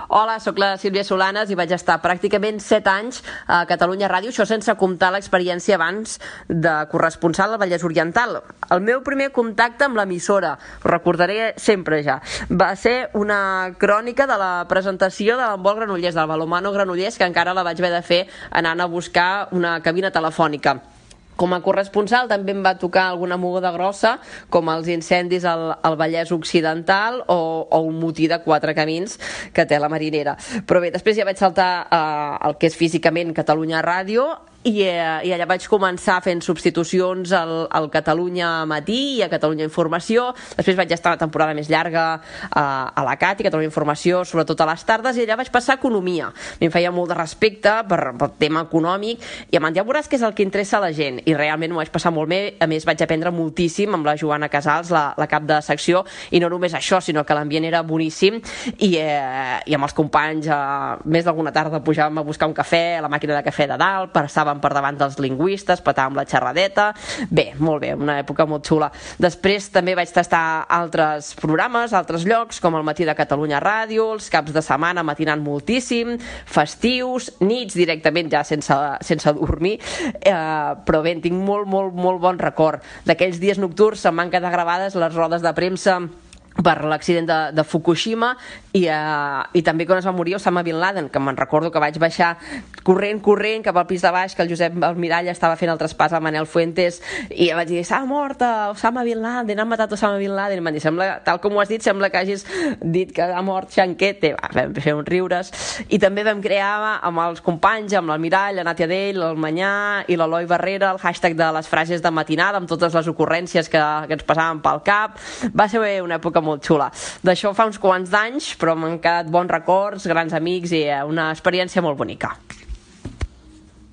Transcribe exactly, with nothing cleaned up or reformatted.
Hola, sóc la Sílvia Solanes i vaig estar pràcticament set anys a Catalunya Ràdio, això sense comptar l'experiència abans de corresponsal al Vallès Oriental. El meu primer contacte amb l'emissora, ho recordaré sempre ja, va ser una crònica de la presentació de l'Handbol Granollers, del Balonmano Granollers, que encara la vaig haver de fer anant a buscar una cabina telefònica. Com a corresponsal també em va tocar alguna moguda grossa, com els incendis al, al Vallès Occidental o, o un motí de quatre camins que té la Marinera. Però bé, després ja vaig saltar eh, el que és físicament Catalunya Ràdio, i, eh, i allà vaig començar fent substitucions al, al Catalunya Matí i a Catalunya Informació. Després vaig estar una temporada més llarga a, a la C A T i Catalunya Informació, sobretot a les tardes, i allà vaig passar a Economia. A mi em feia molt de respecte per, per tema econòmic, i em ja veuràs que és el que interessa a la gent, i realment m'ho vaig passar molt bé. A més, vaig aprendre moltíssim amb la Joana Casals, la, la cap de secció, i no només això, sinó que l'ambient era boníssim, i, eh, i amb els companys eh, més d'alguna tarda pujàvem a buscar un cafè a la màquina de cafè de dalt, passàvem per davant dels lingüistes, petàvem la xerradeta. Bé, molt bé, una època molt xula. Després també vaig tastar altres programes, altres llocs, com el Matí de Catalunya Ràdio, els caps de setmana matinant moltíssim, festius, nits directament ja sense, sense dormir, eh, però bé, tinc molt, molt, molt bon record d'aquells dies nocturns. Se'm van quedar gravades les rodes de premsa per l'accident de, de Fukushima, i, uh, i també quan es va morir Osama Bin Laden, que me'n recordo que vaig baixar corrent, corrent cap al pis de baix, que el Josep Almirall estava fent el traspàs a Manel Fuentes, i vaig dir, s'ha mort Osama Bin Laden, han matat Osama Bin Laden, i em van dir, sembla, tal com ho has dit, sembla que hagis dit que ha mort Xanquete. Va, vam fer uns riures, i també vam crear amb els companys, amb l'Almirall, la Nàtia Dell, el Manyà i l'Eloi Barrera, el hashtag de les frases de matinada, amb totes les ocurrències que, que ens passaven pel cap. Va ser una època molt xula. D'això fa uns quants d'anys, però m'han quedat bons records, grans amics i una experiència molt bonica.